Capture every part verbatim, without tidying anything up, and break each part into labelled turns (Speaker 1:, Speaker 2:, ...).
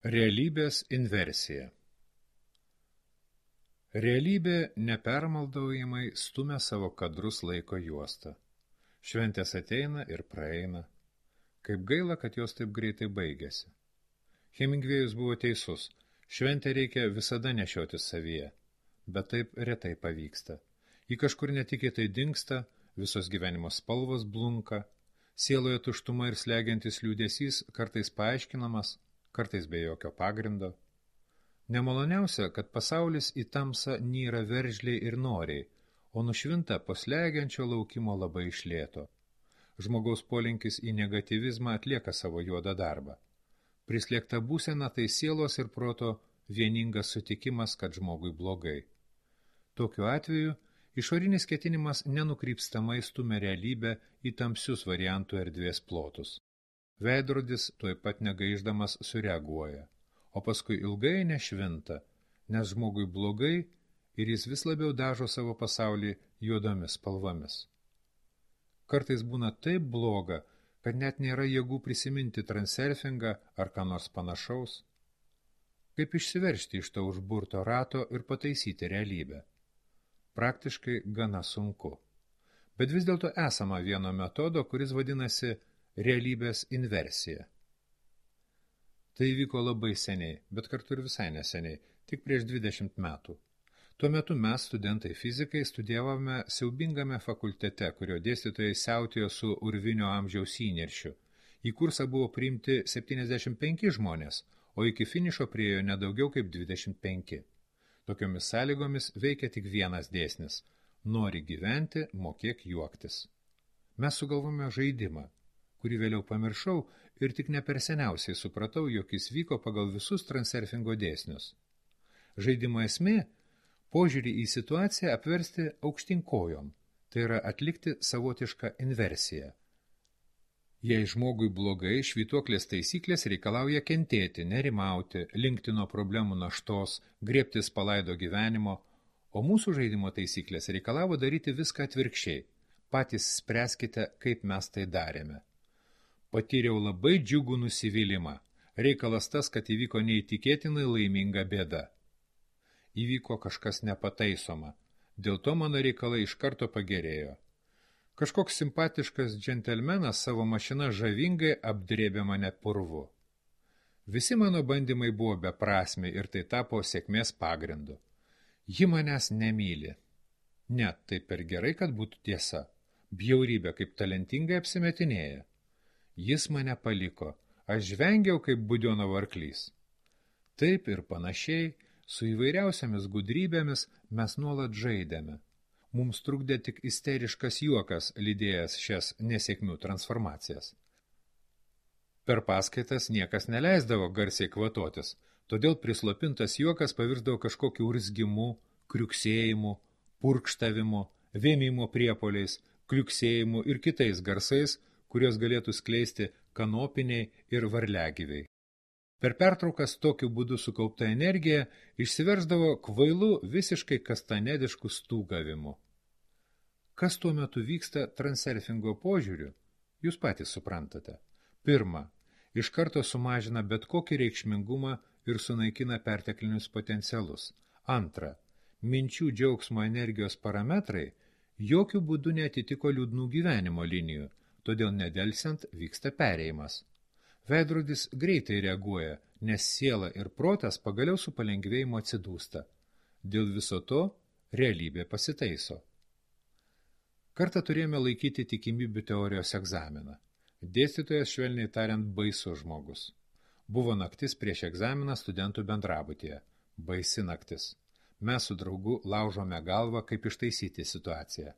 Speaker 1: Realybės inversija. Realybė nepermaldaujamai stumia savo kadrus laiko juostą. Šventės ateina ir praeina. Kaip gaila, kad jos taip greitai baigėsi. Hemingvėjus buvo teisus. Šventę reikia visada nešioti savyje, bet taip retai pavyksta. Ji kažkur netikėtai dingsta, visos gyvenimo spalvos blunka, sieloje tuštuma ir slegiantis liūdesys kartais paaiškinamas, kartais be jokio pagrindo. Nemaloniausia, kad pasaulis į tamsą nyra veržliai ir noriai, o nušvinta po slegiančio laukimo labai iš lėto. Žmogaus polinkis į negatyvizmą atlieka savo juodą darbą. Prislėgta būsena tai sielos ir proto vieningas sutikimas, kad žmogui blogai. Tokiu atveju išorinis ketinimas nenukrypstamai stumia realybę į tamsius variantų erdvės plotus. Veidrodis tuoj pat negaiždamas sureaguoja, o paskui ilgai nešvinta, nes žmogui blogai ir jis vis labiau dažo savo pasaulį juodomis spalvomis. Kartais būna taip bloga, kad net nėra jėgų prisiminti transurfingą ar ką nors panašaus. Kaip išsiveržti iš to užburto rato ir pataisyti realybę? Praktiškai gana sunku. Bet vis dėlto esama vieno metodo, kuris vadinasi realybės inversija. Tai vyko labai seniai, bet kartu ir visai neseniai, tik prieš dvidešimt metų. Tuo metu mes, studentai fizikai, studijavome siaubingame fakultete, kurio dėstytojai siautėjo su urvinio amžiaus įniršiu. Į kursą buvo priimti septyniasdešimt penki žmonės, o iki finišo priėjo nedaugiau kaip dvidešimt penki. Tokiomis sąlygomis veikia tik vienas dėsnis – nori gyventi, mokėk juoktis. Mes sugalvome žaidimą, kurį vėliau pamiršau ir tik ne per seniausiai supratau, jog jis vyko pagal visus transurfingo dėsnius. Žaidimo esmė – požiūrį į situaciją apversti aukštyn kojom, tai yra atlikti savotišką inversiją. Jei žmogui blogai, švytuoklės taisyklės reikalauja kentėti, nerimauti, linkti nuo problemų naštos, griebtis palaido gyvenimo, o mūsų žaidimo taisyklės reikalavo daryti viską atvirkščiai. Patys spręskite, kaip mes tai darėme. Patyriau labai džiugų nusivylimą. Reikalas tas, kad įvyko neįtikėtinai laiminga bėda. Įvyko kažkas nepataisoma. Dėl to mano reikalai iš karto pagerėjo. Kažkoks simpatiškas džentelmenas savo mašiną žavingai apdrėbė mane purvu. Visi mano bandymai buvo beprasmiai ir tai tapo sėkmės pagrindu. Ji manęs nemyli. Ne, tai per gerai, kad būtų tiesa. Bjaurybė kaip talentingai apsimetinėja. Jis mane paliko, aš žvengiau kaip Budionovo arklys. Taip ir panašiai, su įvairiausiamis gudrybėmis mes nuolat žaidėme. Mums trukdė tik isteriškas juokas, lydėjęs šias nesėkmių transformacijas. Per paskaitas niekas neleisdavo garsiai kvatotis, todėl prislopintas juokas pavirsdavo kažkokiu urzgimu, kriuksėjimu, purkštavimu, vėmimo priepoliais, kliuksėjimu ir kitais garsais, kurios galėtų skleisti kanopiniai ir varliagyviai. Per pertraukas tokiu būdu sukaupta energija išsiversdavo kvailu visiškai kastanediškų stūgavimu. Kas tuo metu vyksta transurfingo požiūriu, jūs patys suprantate. Pirma, iš karto sumažina bet kokį reikšmingumą ir sunaikina perteklinius potencialus. Antra, minčių džiaugsmo energijos parametrai jokių būdų neatitiko liūdnų gyvenimo linijų, todėl nedelsiant vyksta perėjimas. Veidrodis greitai reaguoja, nes siela ir protas pagaliau su palengvėjimu atsidūsta. Dėl viso to realybė pasitaiso. Kartą turėjome laikyti tikimybių teorijos egzaminą. Dėstytojas švelniai tariant baisus žmogus. Buvo naktis prieš egzaminą studentų bendrabutyje. Baisi naktis. Mes su draugu laužome galvą, kaip ištaisyti situaciją.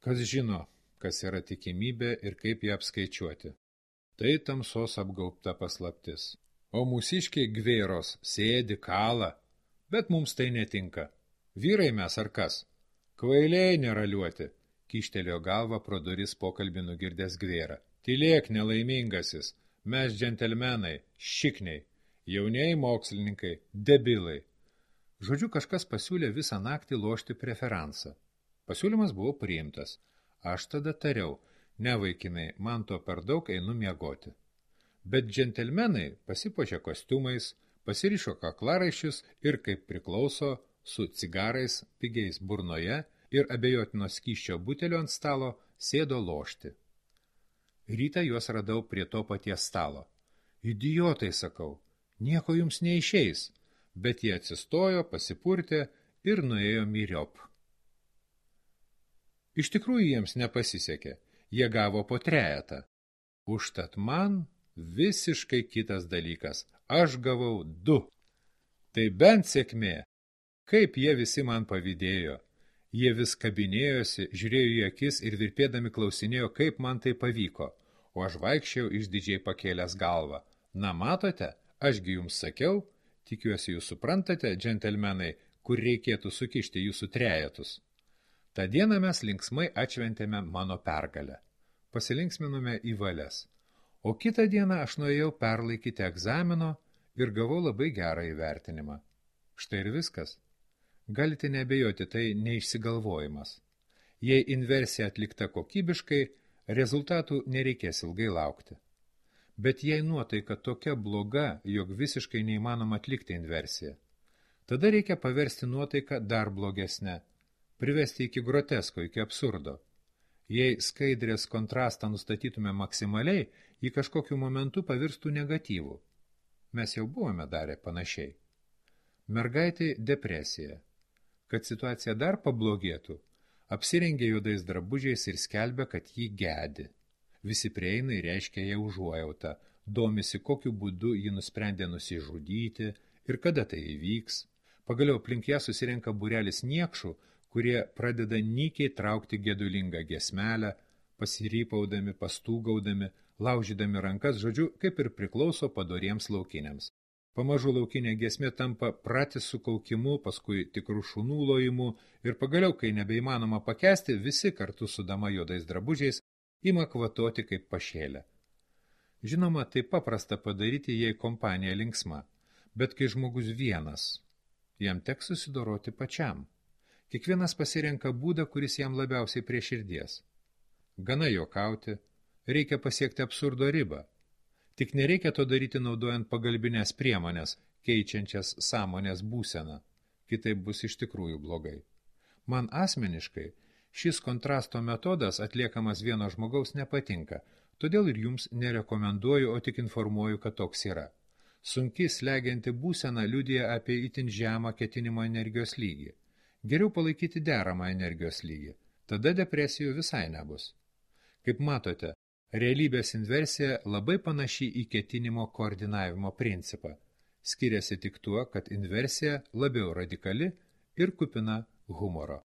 Speaker 1: Kas žino, kas yra tikimybė ir kaip ją apskaičiuoti. Tai tamsos apgaubta paslaptis. O mūsiškiai gvėros sėdi, kala, bet mums tai netinka. Vyrai mes ar kas? Kvailiai neraliuoti, kyštelėjo galvą pro duris pokalbį nugirdęs gvėrą. Tylėk, nelaimingasis, mes džentelmenai, šikniai, jaunieji mokslininkai, debilai. Žodžiu, kažkas pasiūlė visą naktį lošti preferansą. Pasiūlymas buvo priimtas. Aš tada tariau, ne vaikinai, man to per daug einu miegoti. Bet džentelmenai pasipuošė kostiumais, pasirišo kaklaraiščius ir, kaip priklauso, su cigarais, pigiais burnoje ir abejotino skysčio butelio ant stalo sėdo lošti. Rytą juos radau prie to paties stalo. Idiotai, sakau, nieko jums neišeis, bet jie atsistojo, pasipurtė ir nuėjo myriop. Iš tikrųjų jiems nepasisekė, jie gavo po trejetą. Užtat man visiškai kitas dalykas, aš gavau du. Tai bent sėkmė, kaip jie visi man pavydėjo. Jie vis kabinėjosi, žiūrėjo į akis ir virpėdami klausinėjo, kaip man tai pavyko, o aš vaikščiau išdidžiai pakėlęs galvą. Na matote, ašgi jums sakiau, tikiuosi jūs suprantate, džentelmenai, kur reikėtų sukišti jūsų trejetus. Ta dieną mes linksmai atšventėme mano pergalę. Pasilinksminome į valias. O kitą dieną aš nuėjau perlaikyti egzamino ir gavau labai gerą įvertinimą. Štai ir viskas. Galite neabejoti, tai neišsigalvojimas. Jei inversija atlikta kokybiškai, rezultatų nereikės ilgai laukti. Bet jei nuotaika tokia bloga, jog visiškai neįmanoma atlikti inversiją, tada reikia paversti nuotaiką dar blogesnę, privesti iki grotesko, iki absurdo. Jei skaidrės kontrastą nustatytume maksimaliai, į kažkokiu momentu pavirstų negatyvų. Mes jau buvome darę panašiai. Mergaitai depresija. Kad situacija dar pablogėtų, apsirengė juodais drabužiais ir skelbia, kad jį gedi. Visi prieina ir reiškia ją užuojautą, domisi, kokiu būdu ji nusprendė nusižudyti ir kada tai įvyks. Pagaliau aplink ją susirenka būrelis niekšų, kurie pradeda nykiai traukti gedulingą giesmelę, pasirypaudami, pastūgaudami, laužydami rankas, žodžiu, kaip ir priklauso padoriems laukiniams. Pamažu laukinė giesmė tampa pratisų kaukimu, paskui tikrų šunų lojimu ir pagaliau, kai nebeįmanoma pakęsti, visi kartu su dama juodais drabužiais ima kvatoti kaip pašėlę. Žinoma, tai paprasta padaryti, jei kompanija linksma, bet kai žmogus vienas, jam teks susidoroti pačiam. Kiekvienas pasirenka būdą, kuris jam labiausiai prie širdies. Gana juokauti, reikia pasiekti absurdo ribą. Tik nereikia to daryti naudojant pagalbinės priemonės, keičiančias sąmonės būseną. Kitaip bus iš tikrųjų blogai. Man asmeniškai šis kontrasto metodas atliekamas vieno žmogaus nepatinka, todėl ir jums nerekomenduoju, o tik informuoju, kad toks yra. Sunki slegianti būsena liudija apie itin žemą ketinimo energijos lygį. Geriau palaikyti deramą energijos lygį, tada depresijų visai nebus. Kaip matote, realybės inversija labai panaši į ketinimo koordinavimo principą. Skiriasi tik tuo, kad inversija labiau radikali ir kupina humoro.